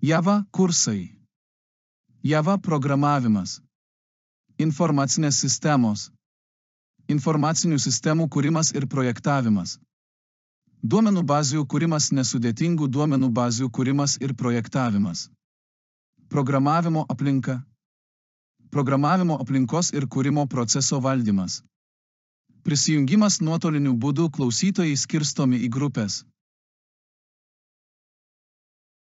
Java kursai. Java programavimas. Informacinės sistemos. Informacinių sistemų kūrimas ir projektavimas. Duomenų bazių kūrimas, nesudėtingų duomenų bazių kūrimas ir projektavimas. Programavimo aplinka. Programavimo aplinkos ir kūrimo proceso valdymas. Prisijungimas nuotoliniu būdu, klausytojai skirstomi į grupės.